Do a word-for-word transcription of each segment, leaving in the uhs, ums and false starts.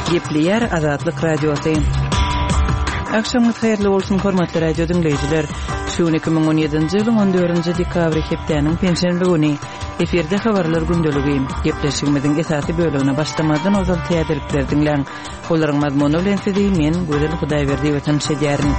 Gepleýär Azatlyk Radiosy. Agşamyňyz haýyrly bolsun, hormatly radio diňleýjiler. Şu gün iki müň on ýedinji ýylyň on dördünji dekabry hepdäniň penşenbe güni. Efirde habarlar gündeligi. Gepleşigimiziň esasy bölegine başlamazdan ozal täzelikleri diňläň. Olaryň mazmuny bilen sizi men, Gözel Hudaýberdiýewa tanyş edýärin.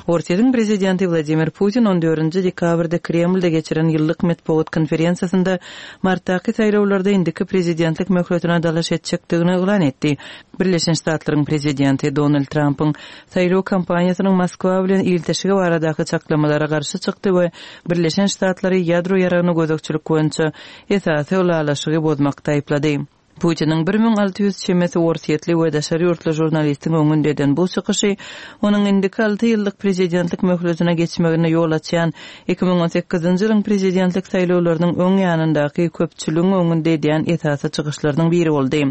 Orsýetiň prezidenti Wladimir Putin on dördünji dekabrda Kremlde geçiren ýyllyk metbugat konferensiýasynda martdaky saýlawlarda indiki prezidentlik möhletine dalaş etjekdigini yglan etdi. Birleşen Ştatlaryň prezidenti Donald Trampyň saýlaw kampaniýasynyň Moskwa bilen ilteşigi baradaky çaklamalara garşy çykdy we Birleşen Ştatlary ýadro ýaragyna gözegçilik boýunça esasy ylalaşygy bozmakda aýyplady. Putiniň bir müň alty ýüz çemesi orsýetli we daşary ýurtly žurnalistiň öňünde eden bu çykyşy onuň indiki alty ýyllyk prezidentlik möhletine geçmegine ýol açýan iki müň on sekizinji ýylyň prezidentlik saýlawlarynyň öň ýanyndaky köpçüligiň öňünde edýän esasy çykyşlarynyň biri boldy.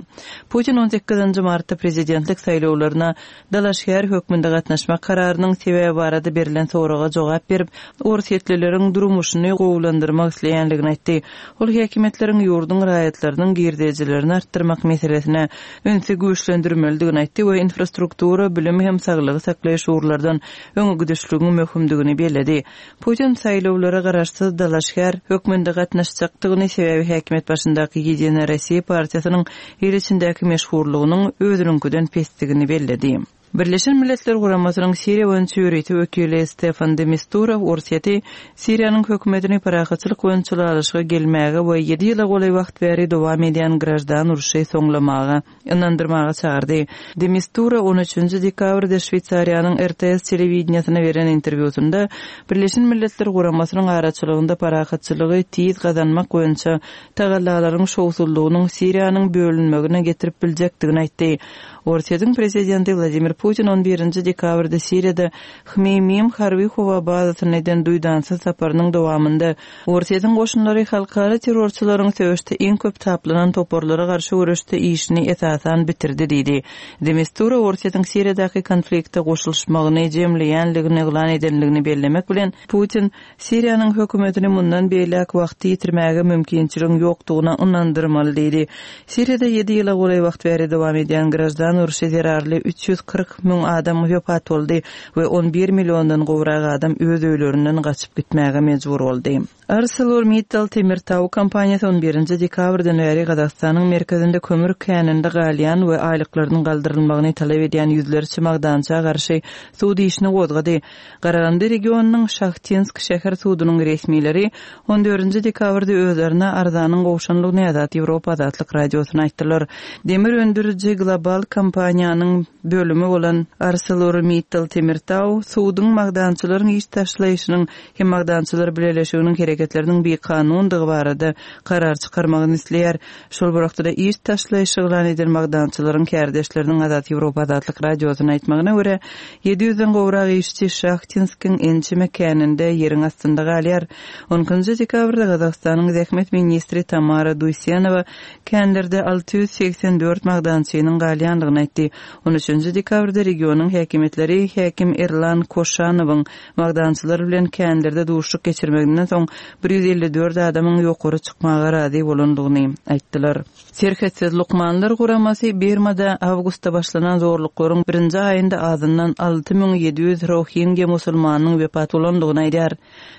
Putin on sekizinji martda prezidentlik saýlawlaryna dalaşgär hökmünde gatnaşmak kararynyň sebäbi barada berlen soraga jogap berip, orsýetlileriň durmuşyny gowulandyrmak isleýänligini aýtdy. Ol häkimiýetleriň ýurduň raýatlarynyň girdejilerini artdyrmak meselesine ünsi güýçlendirmelidigini aýtdy we infrastruktura, bilim hem saglygy saklaýyş ugurlardan öňe gidişligiň möhümdigini belledi. Putin saýlawlara garaşsyz dalaşgär hökmünde gatnaşjakdygyny, sebäbi häkimiýet başyndaky Ýedina Rossiýa partiýasynyň il içindäki meşhurlygynyň özüniňkiden pesdigini belledi. Birleşen Milletler Guramasynyň Siriýa boýunça ýörite wekili Stefan de Mistura Orsýeti Siriýanyň hökümetini parahatçylyk boýunça ylalaşyga gelmäge we ýedi ýyla golaý wagt bäri dowam edýän graždan urşy soňlamaga ynandyrmaga çagyrdy. De Mistura on üçünji dekabrda Şweýsariýanyň R T S telewideniýesine beren interwýusynda Birleşen Milletler Guramasynyň araçylygynda parahatçylygy tiz gazanmak boýunça tagallalaryň şowsuzlygynyň Siriýanyň bölünmegine getirip biljekdigini aýtdy. Orsýetiň prezidenti Wladimir Putin on birinji dekabrda Siriýada Hmeýmim harby howa bazasyna eden duýdansyz saparynyň dowamynda Orsýetiň goşunlary halkara terrorçylaryň söweşde iň köp taplanan toparlara garşy göreşde işini esasan bitirdi diýdi. De Mistura Orsýetiň Siriýadaky konflikte goşulyşmagyny jemleýänligini yglan edenligini bellemek bilen Putin Siriýanyň hökümetini mundan beýläk wagty ýitirmäge mümkinçiligiň ýokdugyna ynandyrmaly diýdi. Siriýada ýedi ýyla golaý wagt bäri dowam edýän graždan urşy zerarly üç ýüz kyrk müň adam wepat boldy we on bir milliondan gowrak adam öz öýlerinden gaçyp gitmäge mejbur boldy. ArcelorMittal Temirtau kompaniýasy on birinji dekabrdan bäri Gazagystanyň merkezinde kömür käninde galýan we aýlyklarynyň galdyrylmagyny talap edýän ýüzlerçe magdança garşy sud işini gozgady. Garagandy regionynyň Şahtinsk şäher sudunyň resmileri on dördünji dekabrda özlerine arzanyň gowşanlygyny Azat Ýewropa Azatlyk Radiosyna aýtdylar. Demir öndüriji global kompaniýanyň bölümi bolan ArcelorMittal Temirtau suduň magdançylaryň iş taşlaýşynyň hem magdançylar bileleşiginiň hereketleriniň bikanundygy barada karar çykarmagyny isleýär. Şol bir wagtda iş taşlaýşy yglan eden magdançylaryň kärdeşleriniň Azat Ýewropa Azatlyk Radiosyna aýtmagyna görä, ýedi ýüzden gowrak işçi Şahtinskiň ençeme käninde ýeriň astynda galýar. On ikinji dekabrda Gazagystanyň zähmet ministri Tamara Duýsenowa känlerde alty ýüz segsen dört magdançynyň galýandygyny aýtdy. On üçünji dekabrda regionyň häkimiýetleri häkim Erlan Koşanowyň magdançylar bilen känlerde duşluk geçirmeginden soň bir ýüz elli dört adamyň ýokary çykmaga razy bolandygyny aýtdylar. Serhetsiz lukmanlar guramasy Birmada awgustda başlanan zorluklaryň birinji aýynda azyndan alty müň ýedi ýüz rohingya musulmanyň wepat bolandygyny aýdar.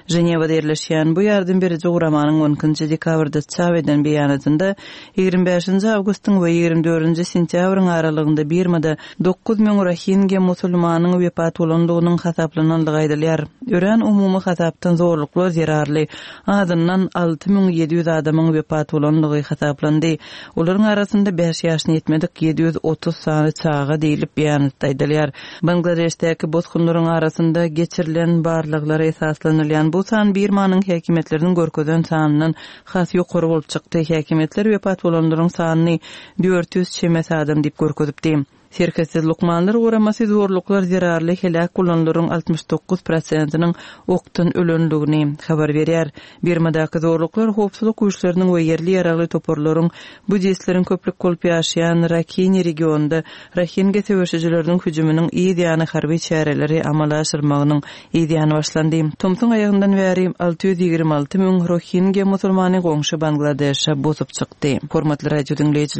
Ženewada ýerleşýän bu ýardam beriji guramanyň on ikinji dekabrda çap eden beýanatynda ýigrimi bäşinji awgustyň we ýigrimi dördünji sentýabryň aralygynda Birmada dokuz müň rohingya musulmanyň wepat bolandygynyň hasaplanandygy aýdylýar. Örän umumy hasapdan zorluklar zerarly azyndan alty müň ýedi ýüz adamyň wepat bolandygy hasaplandy. Olaryň arasynda bäş ýaşyny ýetmedik ýedi ýüz otuz sany çaga diýilip beýanatda aýdylýar. Bangladeşdäki bosgunlaryň arasynda geçirilen barlaglara esaslanylýan bu san Birmanyň häkimiýetleriniň görkezen sanyndan has ýokary bolup çykdy. Häkimiýetler wepat bolanlaryň sanyny dört ýüz çemesi adam diýip görkezipdi. Serhetsiz lukmanlar guramasy zorluklar zerarly heläk bolanlaryň altmyş dokuz prosentiniň okdan ölenligini habar berýär. Birmadaky zorluklar howpsuzlyk güýçleriniň we ýerli ýaragly toparlaryň buddistleriň köplük bolup ýaşaýan Rakini regionynda Rohingya söweşijileriniň hüjüminiň yz ýany harby çäreleri amala aşyrmagynyň yz ýany başlandy. Tomsuň aýagyndan bäri alty ýüz ýigrimi alty müň Rohingya musulmany goňşy Bangladeşe bosup çykdy. Hormatly radio diňleýjiler,